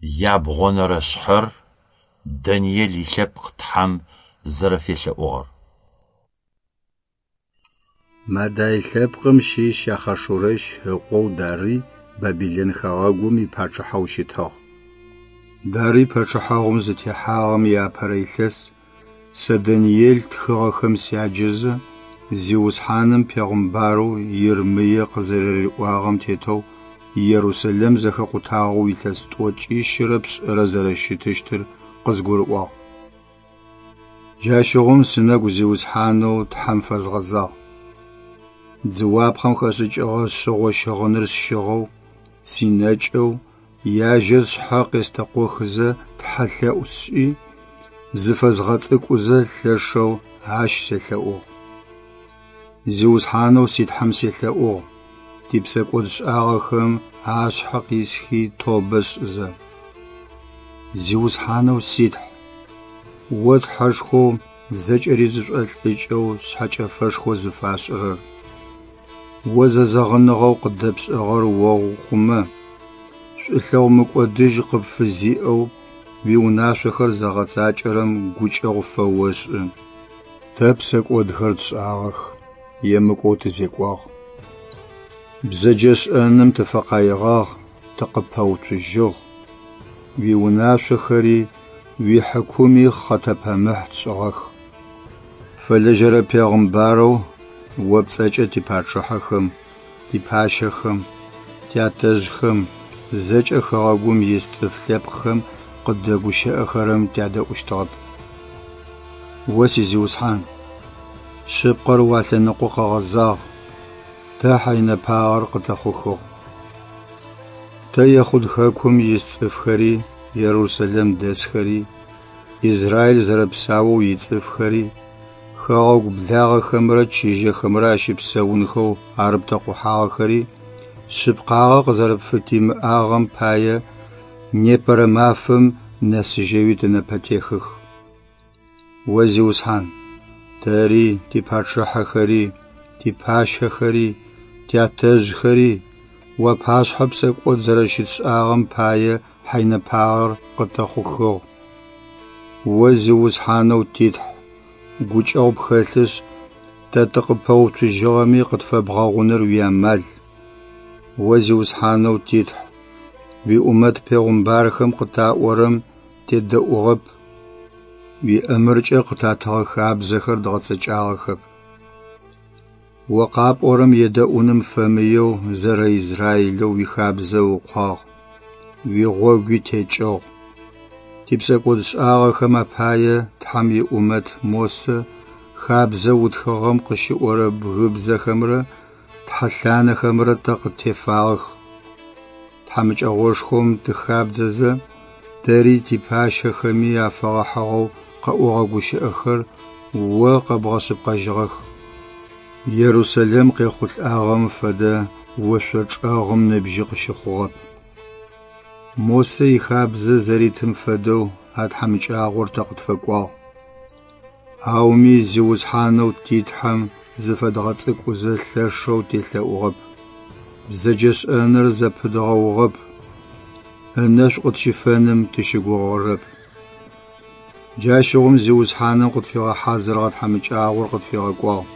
Ябгъонэрэ шъхьэр Даниел илъэпкъ Тхьэм зэрэфелъэӏугъэр. Мадай лъэпкъым щыщ Ахъашурэщ ыкъоу Дарый Бабилэн хэгъэгум ипачъыхьэу щытыгъ. Дарый пачъыхьэгъум зытехьагъэм иапэрэ илъэс сэ Даниел тхыгъэхэм сяджэзэ, Зиусхьаным пегъымбарэу Ермые къызэрэриӏуагъэм тетэу Ерусэлэм зэхэкъутагъэу илъэс тӏокӏищырэ пшӏырэ зэрэщытыщтыр къызгурыӏуагъ. Джащыгъум сынэгу Зиусхьанэу Тхьэм фэзгъэзагъ. Дзыуапхъэм хэшӏыкӏыгъэ шъыгъо щыгъыныр сщыгъэу, синэкӏэу, яжьэ сшъхьэ къестэкъохызэ тхьэлъэӏу сшӏи, зыфэзгъэцӏыкӏузэ лъэшэу Ащ селъэӏугъ. Зиусхьанэу си Тхьэм селъэӏугъ, типсэкӏодшӏагъэхэм ашъхьэ къисхи тобэ сшӏызэ. Зиусхьанэу си Тхь, О Тхьэшхоу зэкӏэри зышӏолӏыкӏэу шъхьэкӏэфэшхо зыфашӏырэр, О зэзэгъыныгъэу къыдэпшӏыгъэр оухъумэ, шӏулъэгъу мыкӏодыжь къыпфызиӏэу уиунашъохэр зыгъэцакӏэрэм гукӏэгъу фэошӏы. Тэ псэкӏодхэр тшӏагъэх, емыкӏоу тызекӏуагъ. Бзэджэшӏэным тыфэкъаигъагъ, тыкъыпэуцужьыгъ. Уиунашъохэри уихьыкуми хъэтэпэмыхь тшӏыгъэх. Пфэлэжьэрэ пегъымбарэу о пцӏэкӏэ типачъыхьэхэм, типащэхэм, тятэжъхэм, зэкӏэ хэгъэгум ис цӏыф лъэпкъхэм къыддэгущыӏэхэрэм тядэӏущтыгъэп. О си Зиусхьан, шъыпкъэр уалъэныкъо къэгъэзагъ, тэ хьэйнэпагъэр къытэхъухыгъ. Тэ Ехъуд хэкум ис цӏыфхэри, Ерусэлэм дэсхэри, Израиль зэрэпсаоу ицӏыфхэри, хэгъэгу благъэхэмрэ чыжьэхэмрэ ащыпсэунхэу арыптэкъухьагъэхэри шъыпкъагъэ къызэрэпфытимыӏагъэм пае непэрэ мафэм нэсыжьэуи тынэпэтехых. О Зиусхьан, тэри, типачъыхьэхэри, типащэхэри, тятэжъхэри уапашъхьэ псэкӏод зэрэщытшӏагъэм пае хьэйнэпагъэр къытэхъухыгъ. О Зиусхьанэу ти Тхь, гукӏэгъу пхэлъышъ, тэ тыкъыппэуцужьыгъэми къытфэбгъэгъуныр уиамал. О Зиусхьанэу ти Тхь, уиӏумэт пегъымбархэм къытаӏорэм тедэӏугъэп, уиӏэмыркӏэ къытатыгъэ хабзэхэр дгъэцэкӏагъэхэп. О къапӏорэм едэӏуным фэмыеу зэрэ Израилэу уихабзэ ыукъуагъ, уигъогуи текӏыгъ. Типсэкӏодшӏагъэхэм апае Тхьэм иӏумэт Мосэ хабзэ утхыгъэм къыщиӏорэ бгыбзэхэмрэ тхьэлъанэхэмрэ тэ къыттефагъэх. Тхьамыкӏэгъошхом тыхабдзэзэ, тэри типащэхэми афэгъэхьыгъэу къэӏогъэ гущыӏэхэр о къэбгъэшъыпкъэжьыгъэх. Ерусэлэм къехъулӏагъэм фэдэ ошъо чӏэгъым ныбжьи къыщыхъугъэп. Мосэ ихабзэ зэритым фэдэу а тхьамыкӏагъор тэ къытфэкӏуагъ. Ауми Зиусхьанэу ти Тхьэм зыфэдгъэцӏыкӏузэ лъэшэу телъэӏугъэп, бзэджэшӏэныр зэпыдгъэугъэп, ынэшӏу къытщифэным тыщыгугъырэп. Джащыгъум Зиусхьаным къытфигъэхьазырыгъэ тхьамыкӏагъор къытфигъэкӏуагъ.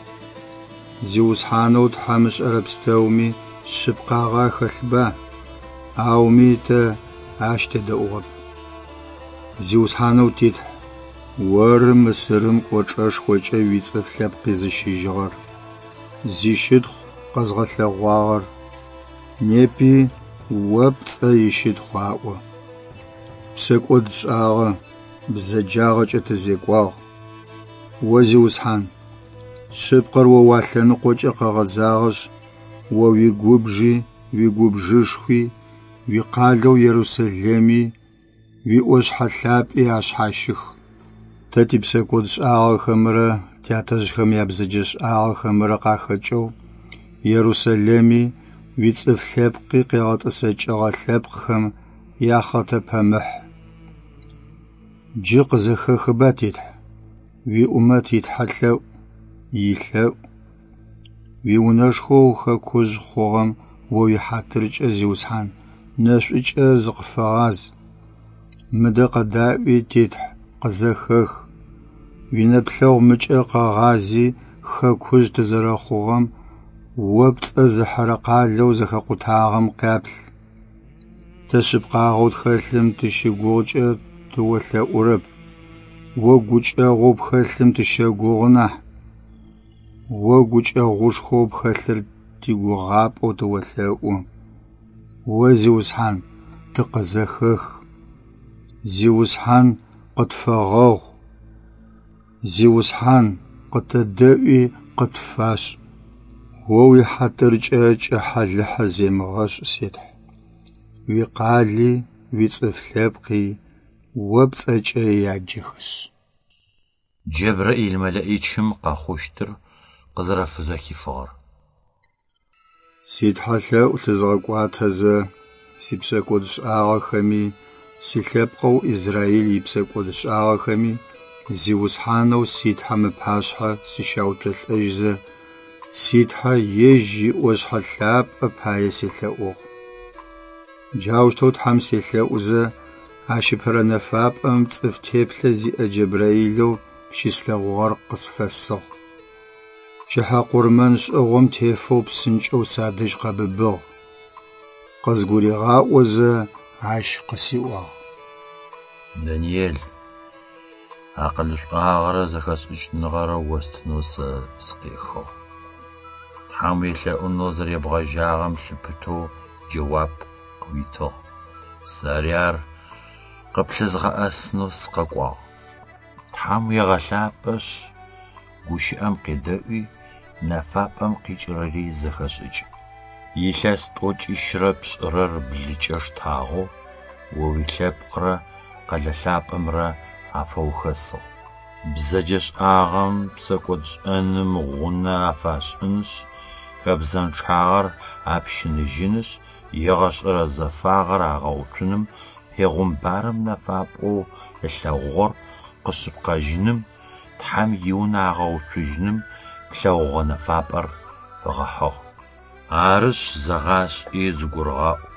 Зиусхьанэу Тхьэм ышӏэрэ пстэуми шъыпкъагъэ ахэлъба, ауми тэ Ащ тедэӏугъэп. Зиусхьанэу ти Тхь, Оры Мысырым кӏочӏэшхокӏэ уицӏыф лъэпкъ къизыщыжьыгъэр, зищытхъу къэзгъэлъэгъуагъэр, непи О пцӏэ ищытхъу аӏо. Псэкӏод тшӏагъэ, бзэджагъэкӏэ тызекӏуагъ. О Зиусхьан, шъыпкъэр О уалъэныкъокӏэ къэгъэзагъэшъ, О уигубжи, уигубжышхуи, уикъалэу Ерусэлэми, уиӏошъхьэ лъапӏи ашъхьащых. Тэ типсэкӏодшӏагъэхэмрэ тятэжъхэм ябзэджэшӏагъэхэмрэ къахэкӏэу Ерусэлэми уицӏыф лъэпкъи къегъэтӏысэкӏыгъэ лъэпкъхэм яхъэтэпэмыхь. Джы къызэхэхыба, ти Тхь, уиӏумэт итхьэлъэӏу, илъэӏу. Уиунэшхоу хэкужъ хъугъэм О уихьатыркӏэ, Зиусхьан, нэшӏукӏэ зыкъыфэгъаз. Мыдэ къэдаӏуи, ти Тхь, къызэхэх. Уинэплъэгъу мыкӏэ къэгъази, хэкужъ тызэрэхъугъэм, О пцӏэ зыхьырэ къалэу зэхэкъутагъэм къяплъ. Тэ шъыпкъагъэу тхэлъым тыщыгугъукӏэ тыолъэӏурэп, О гукӏэгъоу пхэлъым тыщэгугъы нахь. О гукӏэгъушхоу пхэлъыр тигугъапӏэу тыолъэӏу. О Зиусхьан, тыкъызэхэх. Зиусхьан, къытфэгъэгъу. Зиусхьан, къытэдэӏуи къытфашӏ. О уихьатыркӏэ кӏыхьэ-лыхьэ земыгъэшӏ, си Тхь. Уикъали, уицӏыф лъэпкъи О пцӏэкӏэ яджэхэшъ. Джэбраил мэлэӏичым къэхъущтыр къызэрэфызэхифыгъэр. Ситхьэлъэӏу лъызгъэкӏуатэзэ, сипсэкӏодшӏагъэхэми, силъэпкъэу Израил ипсэкӏодшӏагъэхэми Зиусхьанэу си Тхьэм ыпашъхьэ сыщяуцолӏэжьызэ, си Тхьэ Ежь иӏошъхьэ лъапӏэ пае селъэӏугъ. Джаущтэу Тхьэм селъэӏузэ, ащ ыпэрэ нэфапӏэм цӏыф теплъэ зиӏэ Джэбраилэу щыслъэгъугъэр къысфэсыгъ. Пчыхьэ къурмэн шӏыгъом тефэу псынкӏэу садэжь къэбыбыгъ. Къызгуригъаӏозэ ащ къысиӏуагъ. Даниел, акъылышӏуагъэрэ зэхэшӏыкӏыныгъэрэ остынэу сэ сыкъехыгъ. Тхьэм уелъэӏунэу зэребгъэжьагъэм лъыпытэу джэуап къыуитыгъ. Сэри ар къыплъызгъэӏэсынэу сыкъэкӏуагъ. Тхьэм уегъэлъапӏэшъ, гущыӏэм къедэӏуи, нэфапӏэм къикӏырэри зэхэшӏыкӏ. Илъэс тӏокӏищрэ пшӏырэр блыкӏэ штагъэу о уилъэпкърэ къэлэ лъапӏэмрэ афэухэсыгъ. Бзэджэшӏагъэм, псэкӏодшӏэным гъунэ афашӏынышъ, хэбзэнчъагъэр апщыныжьынышъ, егъэшӏэрэ зэфагъэр агъэуцуным пегъумбарым нэфапӏэу ылъэгъугъэр къэшъыпкъэжьыным, Тхьэм иунэ агъэуцужьыным плъэгъугъэ нэфапӏэр фэгъэхьыгъ. Арышъ, зэгъашӏи зыгурыгъаӏу: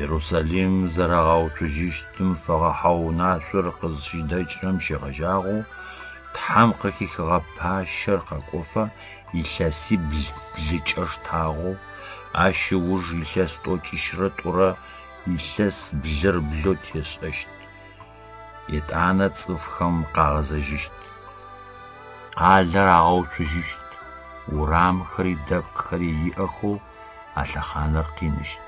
Ерусалим зэрагъэуцужьыщтым фэгъэхьыгъэ унашъор къызщыдэкӏырэм щегъэжьагъэу Тхьэм къыхихыгъэ пащэр къэкӏофэ илъэсибл блыкӏэ штагъэу, ащ ыуж илъэс тӏокӏищрэ тӏурэ илъэс блыр блэу тешӏэщт. Етӏанэ цӏыфхэм къагъэзэжьыщт. Къалэр агъэуцужьыщт, урамхэри дэпкъхэри иӏэхэу а лъэхъаныр къиныщт.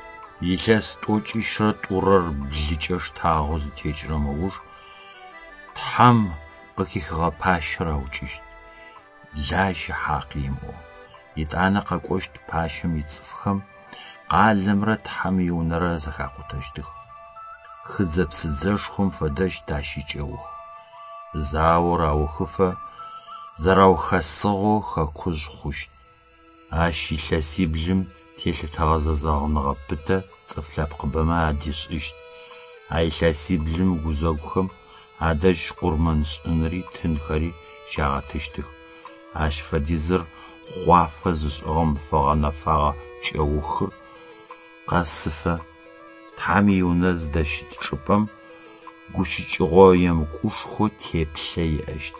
Илъэс тӏокӏищрэ тӏурэр блыкӏэ штагъэу зытекӏырэм ыуж Тхьэм къыхихыгъэ пащэр аукӏыщт, лажьи хьакъи имыӏэу. Етӏанэ къэкӏощт пащэм ицӏыфхэм къалэмрэ Тхьэм иунэрэ зэхакъутэщтых. Хыдзэ-псыдзэшхом фэдэщт ащ икӏэух. Заор аухыфэ зэраухэсыгъэу хэкужъ хъущт. Ащ илъэсиблым телъытэгъэ зэзэгъыныгъэ пытэ цӏыф лъэпкъыбэмэ адишӏыщт. А илъэсиблым гузэгухэм адэжь къурмэншӏынри тынхэри щагъэтыщтых. Ащ фэдизыр хъуафэ зышӏыгъэм фэгъэнэфэгъэ кӏэухыр къэсыфэ Тхьэм иунэ зыдэщыт чӏыпӏэм гущыкӏыгъо емыкӏушхо теплъэ иӏэщт.